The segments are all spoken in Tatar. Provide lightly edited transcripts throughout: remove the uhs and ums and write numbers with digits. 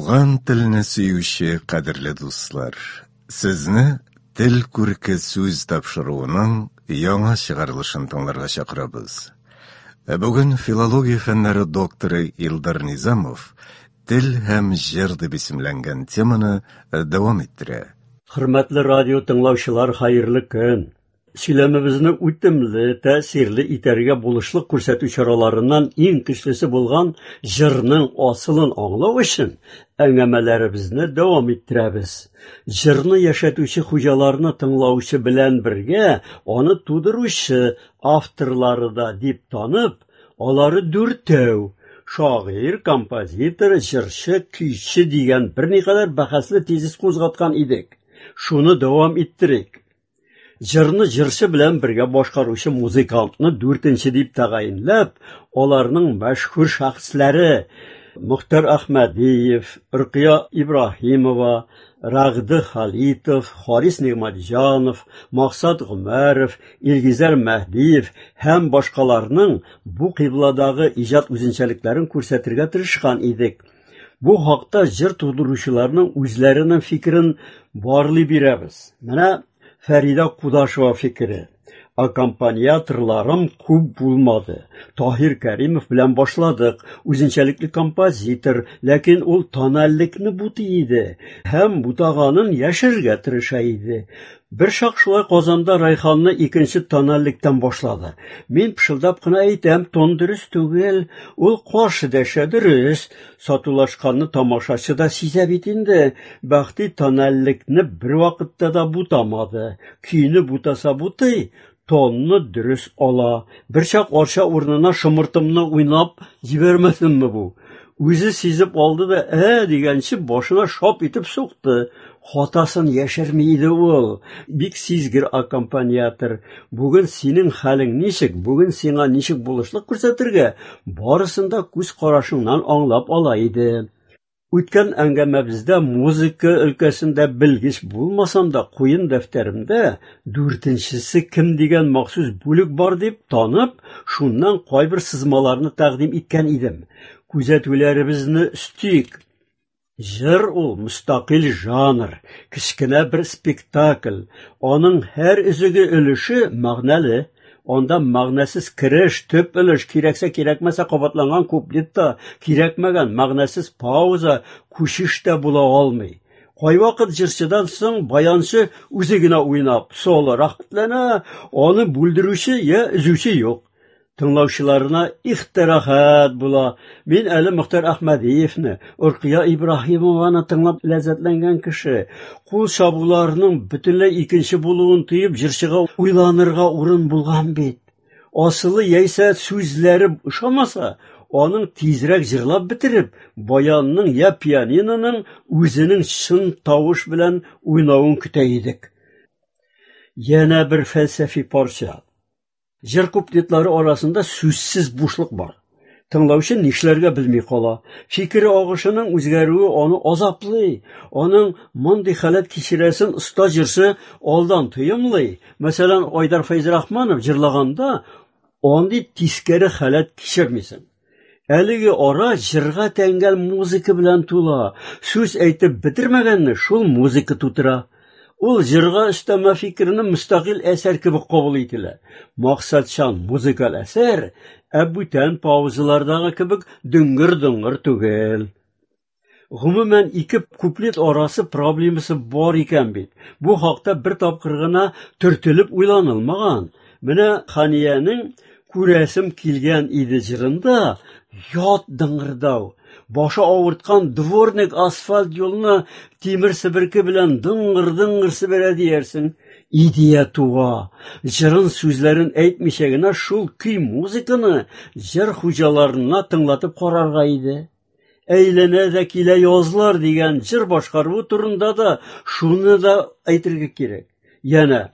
Туган телне сөюче кадерле дуслар, сезне Тел күрке сүз тапшыруының яңа чыгарылышын тыңларга чакырабыз. Ә бүген филология фәннәре докторы Илдар Низамов Тел һәм җыр дип исемләнгән теманы дәвам иттерә. Хөрмәтле радио тыңлаучылар, хәерле көн! Сөйләмебезне үтемле, тәэсирле итәргә булышлык күрсәтү чараларыннан иң көчлесе булган җырның асылын аңлау өчен әңгәмәләребезне дәвам иттерәбез. Җырны яшәтүче хуҗаларны тыңлаучы белән бергә аны тудыручы авторлары да дип танып, алары дүртәү, шагыйрь, композитор, җырчы, көйче дигән берникадәр бәхәсле тезис кузгаткан идек. Шуны дәвам иттерик. Җырны җырчы белән бергә башкаручы музыкантны дүртенче дип тәгаенләп, аларның мәшһүр шәхесләре Мөхтәр Әхмәдиев, Рөкыя Ибраһимова, Рәгъде Халитов, Харис Нигъмәтҗанов, Максат Гомәров, Илгизәр Мәһдиев һәм башкаларның бу кыйбладагы иҗат үзенчәлекләрен күрсәтергә тырышкан идек. Бу хакта җыр тудыручыларның үзләренең фикерен барлый бирәбез. Менә Фәридә Кудашева фикере. Аккомпаниаторларым күп булмады. Таһир Кәримов белән башладык. Үзенчәлекле композитор, ләкин ул тональлекне бутый иде һәм бутаганын яшерергә тырыша иде. Бер чак шулай Казанда Райханны икенче тональлектән башлады. Мин пышылдап кына әйтәм, тон дөрес түгел. Ул каршы дәшә, дөрес. Сатулашканны тамашачы да сизә бит инде. Бәхти тональлекне бервакытта да бутамады. Көйне бутаса бутый, тонны дөрес ала. Берчак Арча урынына шомыртымны уйнап җибәрмәсенме бу? Үзе сизеп алды да, ә дигәнче башына шап итеп сукты. Хатасын яшерми иде ул. Бик сизгер аккомпаниатор. Бүген синең хәлең ничек, бүген сиңа ничек булышлык күрсәтергә, барысын да күз карашыңнан аңлап ала иде. Үткән әңгәмәбездә музыка өлкәсендә белгеч булмасам да, куен дәфтәремдә дүртенчесе кем дигән махсус бүлек бар дип танып, шуннан кайбер сызмаларны тәкъдим иткән идем. Күзәтүләребезне өстик. Җыр ул мөстәкыйль жанр, кечкенә бер спектакль. Аның һәр өзеге өлеше мәгънәле. Анда мәгънәсез кереш, төп өлеш, кирәксә кирәкмәсә кабатланган куплет та, кирәкмәгән мәгънәсез пауза, күчеш тә була алмый. Кайвакыт җырчыдан соң баянчы үзе генә уйнап, соло рәхәтләнә, аны бүлдерүче я өзүче юк. Тыңлаучыларына их тә рәхәт була. Мин әле Мөхтәр Әхмәдиевне, Оркыя Ибраһимованы тыңлап ләззәтләнгән кеше. Кул чабуларының бөтенләй икенче булуын тоеп, җырчыга уйланырга урын булган бит. Асылы яисә сүзләре ошамаса, аның тизрәк җырлап бетереп, баянның я пианиноның үзенең чын тавыш белән уйнавын көтә идек. Янә бер фәлсәфи парча. Җыр куплетлары арасында сүзсез бушлык бар. Тыңлаучы нишләргә белми кала. Фикер агышының үзгәрүе аны азаплый. Аның мондый халәт кичерәсен оста җырчы алдан тоемлый. Мәсәлән, Айдар Фәйзрахманов җырлаганда андый тискәре халәт кичермисең. Әлеге ара җырга тәңгәл музыка белән тула. Сүз әйтеп бетермәгәнне шул музыка тутыра. Ул җырга өстәмә фикерне мөстәкыйль әсәр кебек кабул ителә. Максатчан музыкаль әсәр, ә бүтән паузалардагы кебек дөңгер-доңгыр түгел. Гомумән, ике куплет арасы проблемасы бар икән бит. Бу хакта бер тапкыр гына төртелеп уйланылмаган. Менә Хәниянең Күрәсем килгән иде җырында ят дыңгырдау. Башы авырткан дворник асфальт юлны тимер себерке белән дыңгыр-дыңгыр себерә диярсең. Идея туа. Җырын сүзләрен әйтмичә генә шул көй-музыканы җыр хуҗаларына тыңлатып карарга иде. Әйләнә дә килә язлар дигән җыр башкаруы турында да шуны да әйтергә кирәк. Янә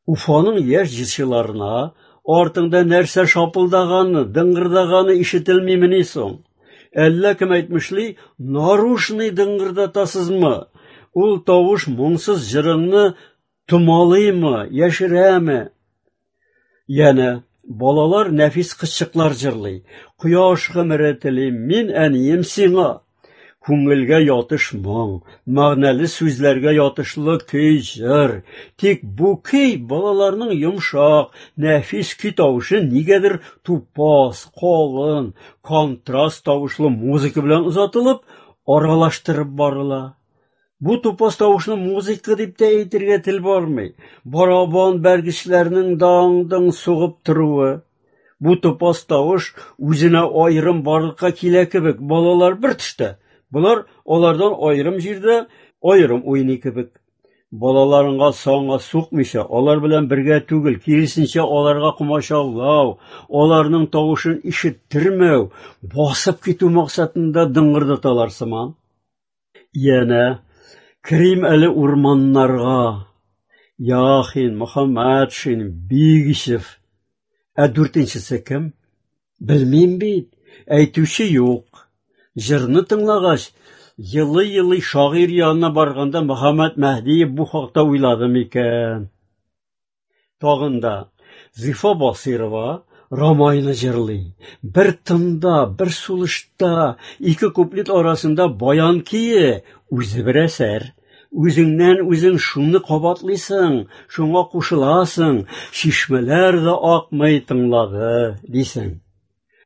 Уфаның яшь җырчыларына артыңда нәрсә шапылдаганы, дыңгырдаганы ишетелмимени соң? Әллә кем әйтмешли, нарушный дыңгырдатасызмы? Ул тавыш моңсыз җырыңны томалыймы, яшерәме? Янә балалар нәфис кызчыклар җырлый. Кояш гомере телим мин, әнием, сиңа. Күңелгә ятыш моң, мәгънәле сүзләргә ятышлы көй, җыр. Тик бу көй балаларның йомшак, нәфис көй тавышы нигәдер тупас, калын, контраст тавышлы музыка белән озатылып, аралаштырып барыла. Бу тупас тавышны музыка дип тә әйтергә тел бармый. Барабан бәргечләрнең даң-дың сугып торуы. Бу тупас тавыш үзенә аерым барлыкка килә кебек, балалар бер төштә. Болар алардан аерым җирдә аерым уйный кебек. Балаларыңа санга сукмыйча, алар белән бергә түгел, киресенчә аларга комачаулау, аларның тавышын ишеттермәү, басып китү максатында дыңгырдаталар сыман. Янә керим әле урманнарга. Яхин, Мөхәммәтшин, Бигичев. Ә дүртенчесе кем? Белмим бит, әйтүче юк. Җырны тыңлагач, елый-елый шагыйрь янына барганда Мөхәммәт Мәһдиев бу хакта уйлады микән? Тагын да Зифа Басыйрова Рамайны җырлый. Бер тында, бер сулышта, ике куплет арасында баян көе үзе бер әсәр. Үзеңнән үзең шуны кабатлыйсың, шуңа кушыласың, чишмәләр дә акмый тыңлады, дисең.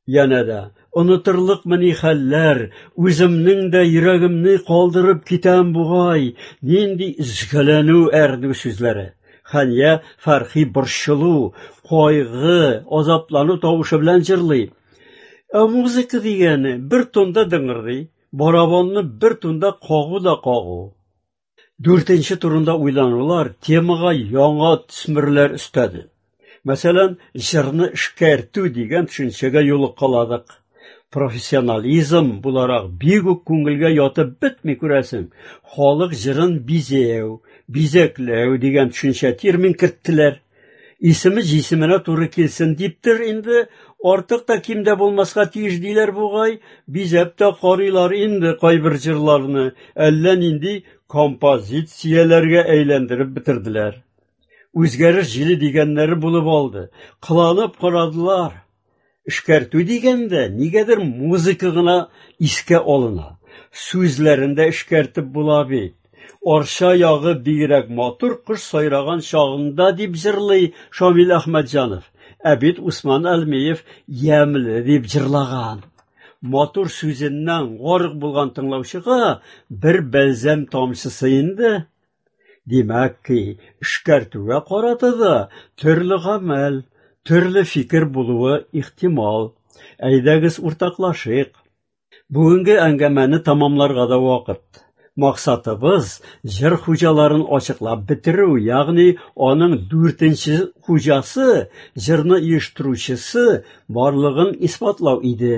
Янә дә онытырлыкмыни хәлләр, үземнең дә йөрәгемне калдырып китәм бугай, нинди өзгәләнү әрнү сүзләре. Хәния Фәрхи борчылу, кайгы, азаплану тавышы белән җырлый. Ә музыка дигәне бер тонда дыңгырдый, барабанны бер тонда кагу да кагу. Дүртенче турында уйланулар темага яңа төсмерләр өстәде. Мәсәлән, җырны эшкәртү дигән төшенчәгә юлыккаладык. Профессионализм буларак бик үк күңелгә ятып бетми күрәсең. Халык җырын бизәү, бизәкләү дигән төшенчә термин керттеләр. Исеме җисеменә туры килсен диптер инде, артык та ким дә булмаска тиеш диләр бугай, бизәп тә карыйлар инде кайбер җырларны, әллә нинди композицияләргә әйләндереп бетерделәр. Үзгәреш җиле дигәннәре булып алды. Кыланып карадылар. Эшкәртү дигәндә нигәдер музыка гына искә алына. Сүзләрен дә эшкәртеп була бит. Арча ягы бигрәк матур кош сайраган чагында дип җырлый Шамил Әхмәтҗанов. Ә бит Усман Әлмиев ямьле дип җырлаган. Матур сүзеннән гарык булган тыңлаучыга бер бәлзәм тамчысы инде. Димәк ки, эшкәртүгә карата да төрле гамәл, төрле фикер булуы ихтимал. Әйдәгез уртаклашыйк. Бүгенге әңгәмәне тамамларга да вакыт. Максатыбыз җыр хуҗаларын ачыклап бетерү, ягъни аның дүртенче хуҗасы, җырны оештыручысы барлыгын исбатлау иде.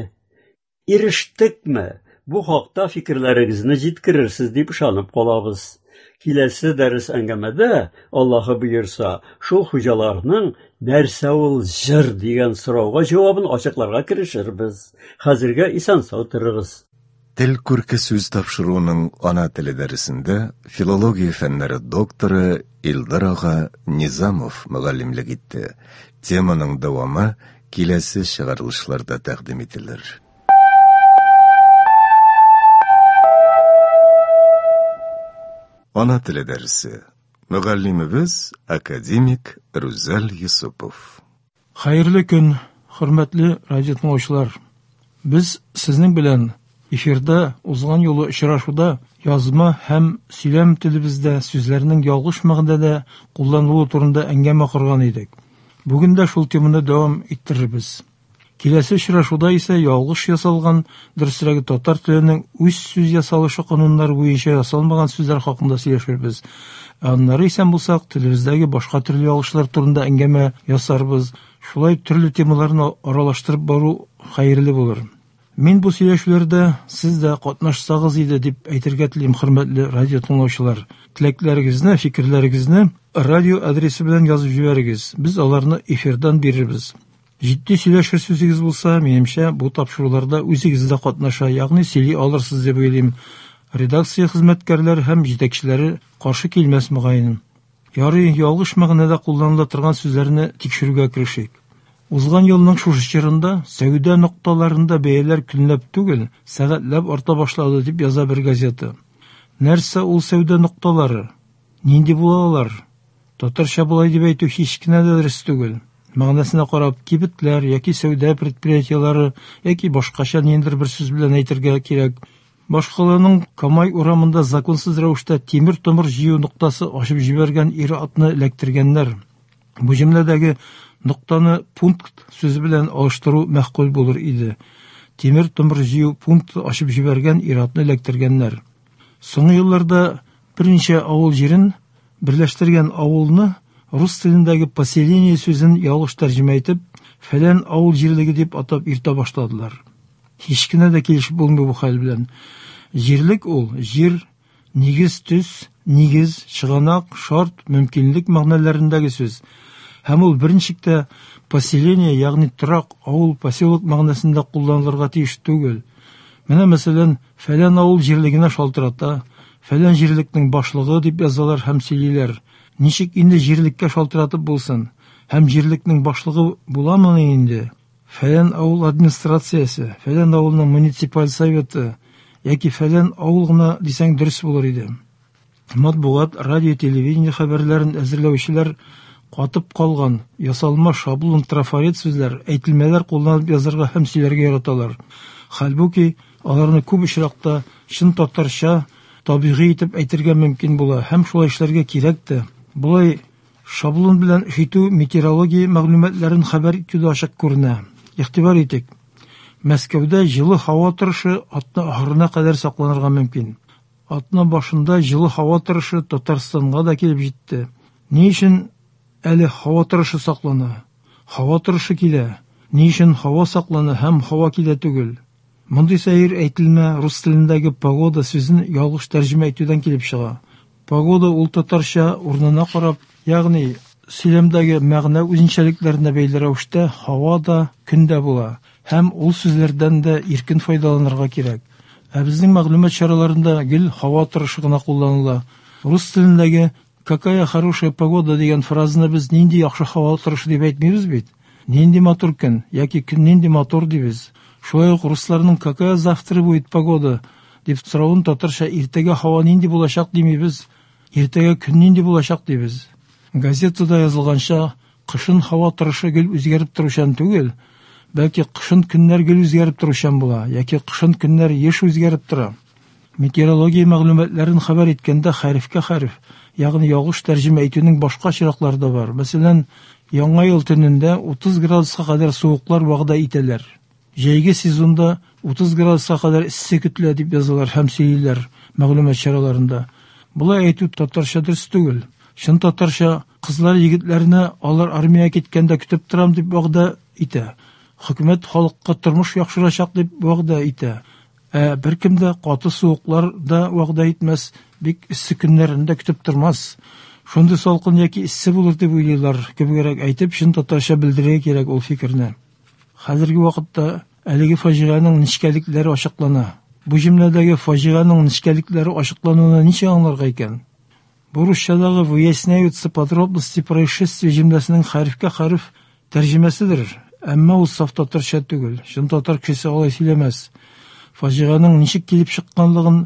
Ирештекме? Бу хакта фикерләрегезне җиткерерсез дип ышанып калабыз. Киләсе дәрес әңгәмәдә, Аллаһы боерса, шул хуҗаларның нәрсә ул җыр дигән сорауга җавабын ачыкларга керешербез. Хәзергә исән-сау торыгыз. Тел күрке сүз тапшыруының ана теле дәресендә филология фәннәре докторы Илдар ага Низамов мөгаллимлек итте. Теманың дәвамы киләсе чыгарылышларда тәкъдим ителер. Ана теле дәресе. Мөгаллимебез академик Рүзәл Юсупов. Хәерле көн, хөрмәтле радио тыңлаучылар. Без сезнең белән эфирда узган юлы очрашуда язма һәм сөйләм телебездә сүзләрнең ялгыш мәгънәдә кулланылуы турында әңгәмә корган идек. Бүген дә шул теманы дәвам иттерербез. Киләсе очрашуда исә ялгыш ясалган, дөресрәге татар теленең үз сүз ясалышы кануннары буенча ясалмаган сүзләр хакында сөйләшербез. Ә аннары исән булсак, телебездәге башка төрле ялгышлар турында әңгәмә ясарбыз. Шулай төрле темаларны аралаштырып бару хәерле булыр. Мин бу сөйләшүләрдә сез дә катнашсагыз иде дип әйтергә телим, хөрмәтле радио тыңлаучылар. Теләкләрегезне, фикерләрегезне радио адресы белән язып җибәрегез. Без аларны эфирдан бирербез. Җитди сөйләшер сүзегез булса, минемчә, бу тапшыруларда үзегез дә катнаша, ягъни сөйли алырсыз дип уйлыйм. Редакция хезмәткәрләре һәм җитәкчеләре каршы килмәс мөгаен. Ярый, ялгыш мәгънәдә кулланыла торган сүзләрне тикшерүгә керешик. Узган елның шушы чорында сәүдә нокталарында бәяләр көнләп түгел, сәгатьләп арта башлады дип яза бер газета. Нәрсә ул сәүдә нокталары? Нинди була алар? Татарча болай дип әйтү һич кенә дә дөрес түгел. Мәгънәсенә карап, кибетләр яки сәүдә предприятиеләре яки башкача ниндидер бер сүз белән әйтергә кирәк. Башкаланың Камай урамында законсыз рәвештә тимер-томыр җыю ноктасы ачып җибәргән ир-атны эләктергәннәр. Бу җөмләдәге ноктаны пункт сүзе белән алыштыру мәгъкуль булыр иде. Тимер-томыр җыю пункты ачып җибәргән ир-атны эләктергәннәр. Соңгы елларда берничә авыл җирен берләштергән авылны рус телендәге поселение сүзен ялгыш тәрҗемә итеп, фәлән авыл җирлеге дип атап йөртә башладылар. Һич кенә дә килешеп булмый бу хәл белән. Җирлек ул җир, нигез, төс, нигез, чыганак, шарт, мөмкинлек мәгънәләрендәге сүз. Һәм ул берничек тә поселение, ягъни торак, авыл, поселок мәгънәсендә кулланылырга тиеш түгел. Менә мәсәлән, фәлән авыл җирлегенә шалтырата, фәлән җирлекнең башлыгы дип язалар һәм сөйлиләр. Ничек инде җирлеккә шалтыратып булсын? Һәм җирлекнең башлыгы буламыни инде? Фәлән авыл администрациясе, фәлән авылның муниципаль советы яки фәлән авыл гына дисәң дөрес булыр иде. Матбугат, радио, телевидение хәбәрләрен әзерләүчеләр катып калган ясалма шаблон трафарет сүзләр, әйтелмәләр кулланып язарга һәм сөйләргә яраталар. Хәлбуки, аларны күп очракта чын татарча табигый итеп әйтергә мөмкин була һәм шулай эшләргә кирәк тә. Болай шаблон белән эш итү метеорология мәгълүматларын хәбәр итүдә ачык күренә. Игътибар итик. Мәскәүдә җылы һава торышы атна ахырына кадәр сакланырга мөмкин. Атна башында җылы һава торышы Татарстанга да килеп җитте. Ни өчен әле һава торышы саклана? Һава торышы килә. Ни өчен һава саклана һәм һава килә түгел? Мондый сәер әйтелмә рус телендәге погода сүзен ялгыш тәрҗемә итүдән килеп чыга. Погода ул татарча урынына карап, ягъни сөйләмдәге мәгънә үзенчәлекләренә бәйле рәвештә һава да, көн дә була һәм ул сүзләрдән дә иркен файдаланырга кирәк. Ә безнең мәгълүмат чараларында гел һава торышы гына кулланыла. Рус телендәге «Какая хорошая погода» дигән фразаны без нинди яхшы һава торышы дип әйтмибез бит. Нинди матур көн яки көн нинди матур дибез. Шулай ук русларның «Какая завтра будет погода?» дип соравын татарча иртәгә һава нинди булачак димибез, иртәгә көн нинди булачак дибез. Газетада язылганча, кышын һава торышы гел үзгәреп торучан түгел, бәлки кышын көннәр гел үзгәреп торучан була, яки кышын көннәр еш үзгәреп тора. Метеорология мәгълүматларын хәбәр иткәндә хәрефкә хәреф, ягъни ялгыш тәрҗемә итүнең башка очраклары да бар. Мәсәлән, Яңа ел төнендә 30 градуска кадәр суыклар вәгъдә итәләр. Җәйге сезонда 30 градуска кадәр эссе көтелә дип язалар һәм сөйлиләр мәгълүмат чараларында. Болай әйтү татарча дөрес түгел. Чын татарча кызлар егетләрне алар армиягә киткәндә көтеп торам дип вәгъдә итә. Хөкүмәт халыкка тормыш яхшырачак дип вәгъдә итә. Ә беркем дә каты суыклар да вәгъдә итмәс, бик эссе көннәрен дә көтеп тормас. Шундый салкын яки эссе булыр дип уйлыйлар, кебегрәк әйтеп, чын татарча белдерергә кирәк ул фикерне. Хәзерге вакытта әлеге фаҗиганең нечкәлекләре ачыклана. Бу җөмләдәге фаҗиганең нечкәлекләре ачыклануны ничек аңларга икән? Бу русчадагы выясняются подробности происшествия җөмләсенең хәрефкә хәреф тәрҗемәседер, әмма ул саф татарча түгел. Чын татар кешесе алай сөйләмәс. Фаҗиганең ничек килеп чыкканлыгын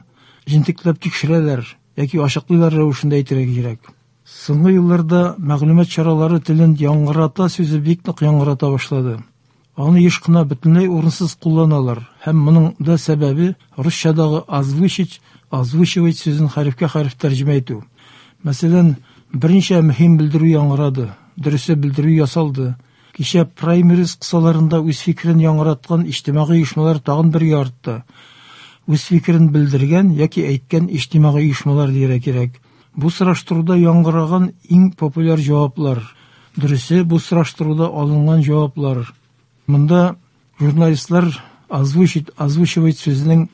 җентекләп тикшерәләр яки ачыклыйлар рәвешендә әйтергә кирәк. Соңгы елларда мәгълүмат чаралары телен яңгырата сүзе бик нык яңгырата башлады. Аны еш кына бөтенләй урынсыз кулланалар һәм моның да сәбәбе русчадагы озвучить, озвучивать сүзен хәрефкә хәреф тәрҗемә итү. Мәсәлән, берничә мөһим белдерү яңгырады, дөресе белдерү ясалды. Кичә праймериз кысаларында үз фикерен яңгыраткан иҗтимагый оешмалар тагын бергә артты. Үз фикерен белдергән яки әйткән иҗтимагый оешмалар дияргә кирәк. Бу сораштыруда яңгыраган иң популяр җаваплар. Дөресе, бу сораштыруда алынган җаваплар. Монда журналистлар озвучить, озвучивать сүзенең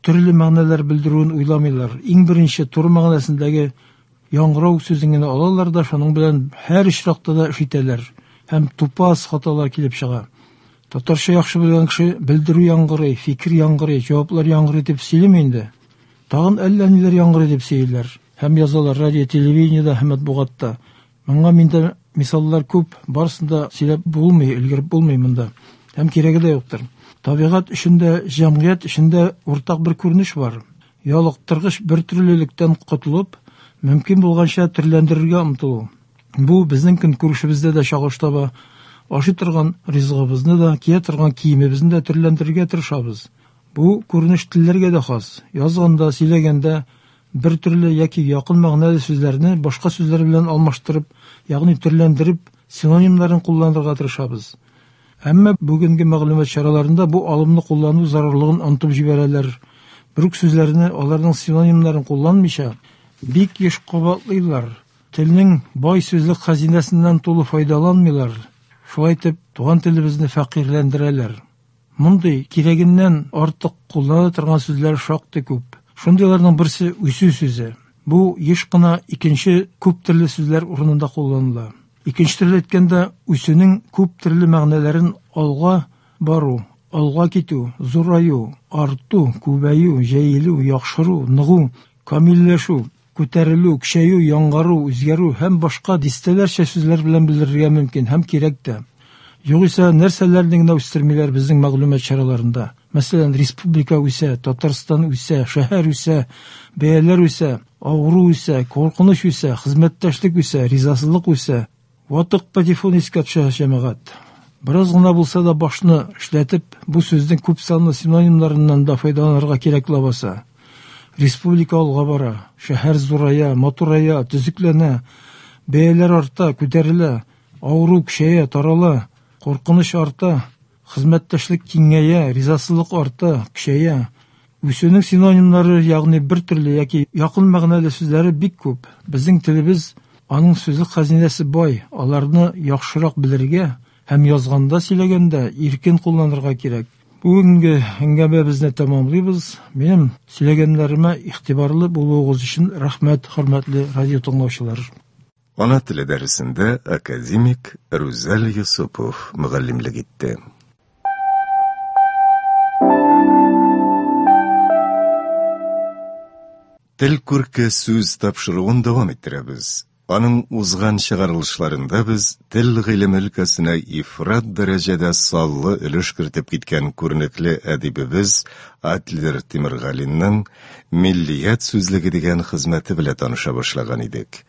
төрле мәгънәләр белдерүен уйламыйлар. Иң беренче туры мәгънәсендәге яңгырау сүзен генә алалар да, шуның белән һәр очракта да эш итәләр һәм тупас хаталар килеп чыга. Татарча яхшы белгән кеше белдерү яңгырый, фикер яңгырый, җаваплар яңгырый дип сөйлиме инде? Тагын әллә ниләр яңгырый дип сөйлиләр һәм язалар радио, телевидениедә һәм матбугатта. Моңа миндә Мисаллар күп, барысын да сөйләп булмый, өлгереп булмый монда. Һәм кирәге дә юктыр. Табигать өчен дә, җәмгыять өчен дә уртак бер күренеш бар. Ялыктыргыч бертөрлелектән котылып, мөмкин булганча төрләндерергә омтылу. Бу безнең көнкүрешебездә дә чагылыш таба. Ашый торган ризыгыбызны да, кия торган киемебезне дә төрләндерергә тырышабыз. Бу күренеш телләргә дә хас. Язганда, сөйләгәндә бер төрле яки якын мәгънәле сүзләрне башка сүзләр белән алмаштырып, ягъни төрләндереп, синонимнарын кулланырга тырышабыз. Әмма бүгенге мәгълүмат чараларында бу алымны куллану зарурлыгын онытып җибәрәләр. Бер үк сүзләрне, аларның синонимнарын кулланмыйча, бик еш кабатлыйлар. Телнең бай сүзлек хәзинәсеннән тулы файдаланмыйлар. Шулай итеп, туган телебезне фәкыйрьләндерәләр. Мондый кирәгеннән артык кулланыла торган сүзләр шактый күп. Шундыйларның берсе үсү сүзе. Бу еш кына икенче күп төрле сүзләр урынында кулланыла. Икенче төрле әйткәндә, үсүнең күп төрле мәгънәләрен алга бару, алга китү, зураю, арту, күбәю, җәелү, яхшыру, ныгу, камилләшү, күтәрелү, көчәю, яңару, үзгәрү һәм башка дистәләрчә сүзләр белән белдерергә мөмкин һәм кирәк тә. Югыйсә, нәрсәләрне генә үстермиләр безнең мәгълүмат чараларында. Мәсәлән, республика үсә, Татарстан үсә, шәһәр үсә, бәяләр үсә, авыру үсә, куркыныч үсә, хезмәттәшлек үсә, ризасызлык үсә. Ватык патефон искә төшә, җәмәгать. Бераз гына булса да башны эшләтеп, бу сүзнең күп санлы синонимнарыннан да файдаланырга кирәк ләбаса. Республика алга бара, шәһәр зурая, матурая, төзекләнә, бәяләр арта, күтәрелә, авыру көчәя, тарала, куркыныч арта, хезмәттәшлек киңәя, ризасызлык арта, көчәя. Үсүнең синонимнары, ягъни бер төрле яки якын мәгънәле сүзләре бик күп. Безнең телебез, аның сүзлек хәзинәсе бай, аларны яхшырак белергә һәм язганда, сөйләгәндә иркен кулланырга кирәк. Бүгенге әңгәмәбезне тәмамлыйбыз. Минем сөйләгәннәремә игътибарлы булуыгыз өчен рәхмәт, хөрмәтле радио тыңлаучылар. Ана теле дәресендә академик Рүзәл Йосыпов мөгаллимлек итте. Тел күрке сүз тапшыруын дәвам иттерәбез. Аның узган чыгарылышларында без тел гыйлеме өлкәсенә ифрат дәрәҗәдә саллы өлеш кертеп киткән күренекле әдибебез Адлер Тимергалинның Миллият сүзлеге дигән хезмәте белән таныша башлаган идек.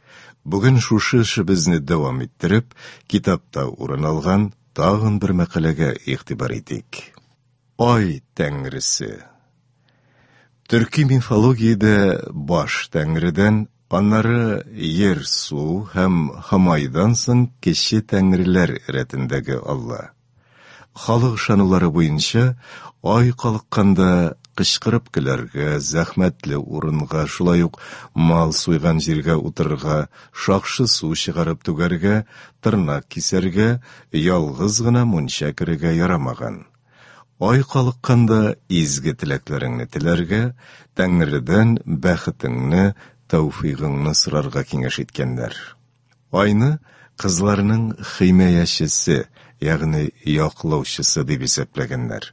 Бүген шушы эшебезне дәвам иттереп, китапта урын алган тагын бер мәкаләгә игътибар итик. Ай тәңресе. Төрки мифологиядә баш тәңредән, аннары ер-су һәм Һомайдан соң кече тәңреләр рәтендәге Алла. Халык ышанулары буенча, ай калыкканда кычкырып көләргә, зәхмәтле урынга, шулай ук мал суйган җиргә утырырга, шакшы су чыгарып түгәргә, тырнак кисәргә, ялгыз гына мунча керергә ярамаган. Ай калыкканда изге теләкләреңне теләргә, Тәңредән бәхетеңне, тәүфыйгыңны сорарга киңәш иткәннәр. Айны кызларның химаячесе, ягъни яклаучысы дип исәпләгәннәр.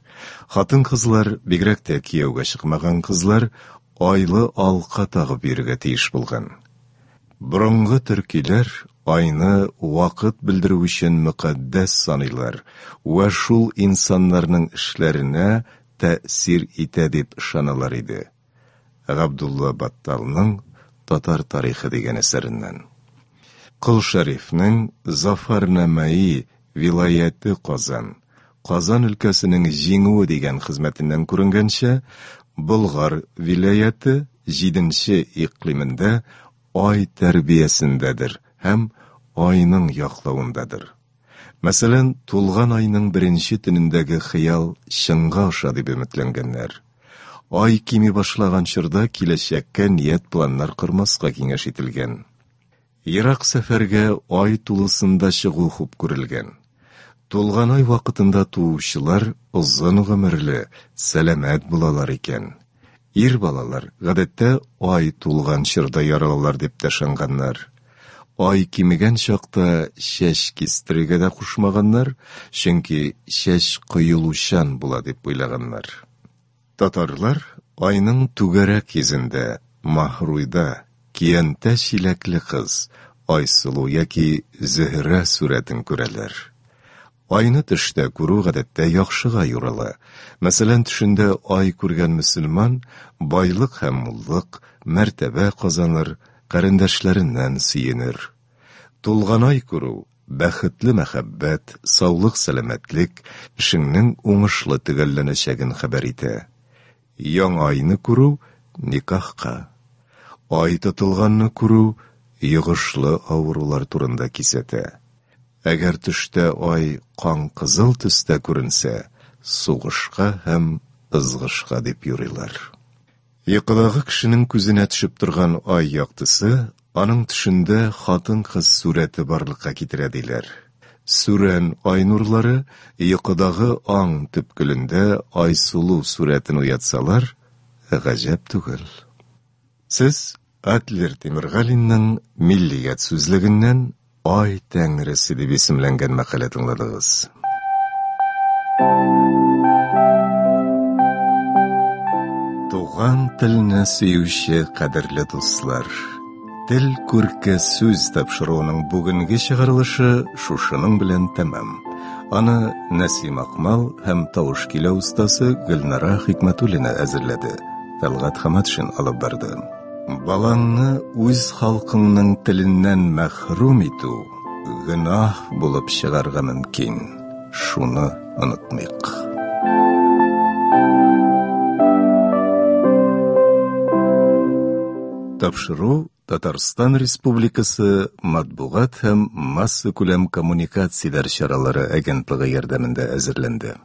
Хатын-кызлар, бигрәк тә кияүгә чыкмаган кызлар, айлы алка тагып йөрергә тиеш булган. Борынгы төркиләр айны вакыт белдерү өчен мөкатдәс саныйлар вә шул инсаннарның эшләренә тәэсир итә дип ышаналар иде. Габдулла Батталның Татар тарихы дигән әсәреннән. Кол Шәрифнең Зафарнамәи вилаяте Казан, Казан өлкәсенең җиңүе дигән хезмәтеннән күренгәнчә, Болгар вилаяте җиденче икълимендә ай тәрбиясендәдер һәм айның яклавындадыр. Мәсәлән, тулган айның беренче төнендәге хыял чынга аша дип өметләнгәннәр. Ай кими башлаган чорда киләчәккә ният-планнар кормаска киңәш ителгән. Ерак сәфәргә ай тулысында чыгу хуп күрелгән. Тулган ай вакытында туучылар озын гомерле, сәламәт булалар икән. Ир балалар, гадәттә, ай тулган чорда яралалар дип тә ышанганнар. Ай кимегән чакта чәч кистерергә дә кушмаганнар, чөнки чәч коелучан була дип уйлаганнар. Татарлар айның түгәрәк йөзендә, Маһруйда, көянтә чиләкле кыз, Айсылу яки Зөһрә сурәтен күрәләр. Айны төштә күрү гадәттә яхшыга юрала. Мәсәлән, төшендә ай күргән мөселман байлык һәм муллык, мәртәбә казаныр, карендәшләреннән сөенер. Тулган ай күрү бәхетле мәхәббәт, саулык-сәламәтлек, эшеңнең уңышлы төгәлләнәчәген хәбәр итә. Яңа айны күрү никахка. Ай тотылганны күрү йогышлы авырулар турында кисәтә. Әгәр төштә ай кан кызыл төстә күренсә, сугышка һәм ызгышка дип юрыйлар. Йокыдагы кешенең күзенә төшеп торган ай яктысы аның төшендә хатын-кыз сурәте барлыкка китерә диләр. Сүрән ай нурлары йокыдагы аң төпкелендә Айсылу сурәтен уятсалар, гаҗәп түгел. Сез Адлер Тимергалинның Миллият сүзлегеннән Ай тәңресе дип исемләнгән мәкалә тыңладыгыз. Туган телне сөюче кадерле дуслар, Тел күрке сүз тапшыруының бүгенге чыгарылышы шушының белән тәмам. Аны Нәсим Акмал һәм тавыш көйләү остасы Гөлнара Хикмәтуллина әзерләде. Тәлгать Хаматшин алып барды. Балаңны үз халкыңның теленнән мәхрүм итү гөнаһ булып чыгарга мөмкин. Шуны онытмыйк. Тапшыру Татарстан Республикасы матбугат һәм массакүләм коммуникацияләр чаралары агентлыгы ярдәмендә әзерләнде.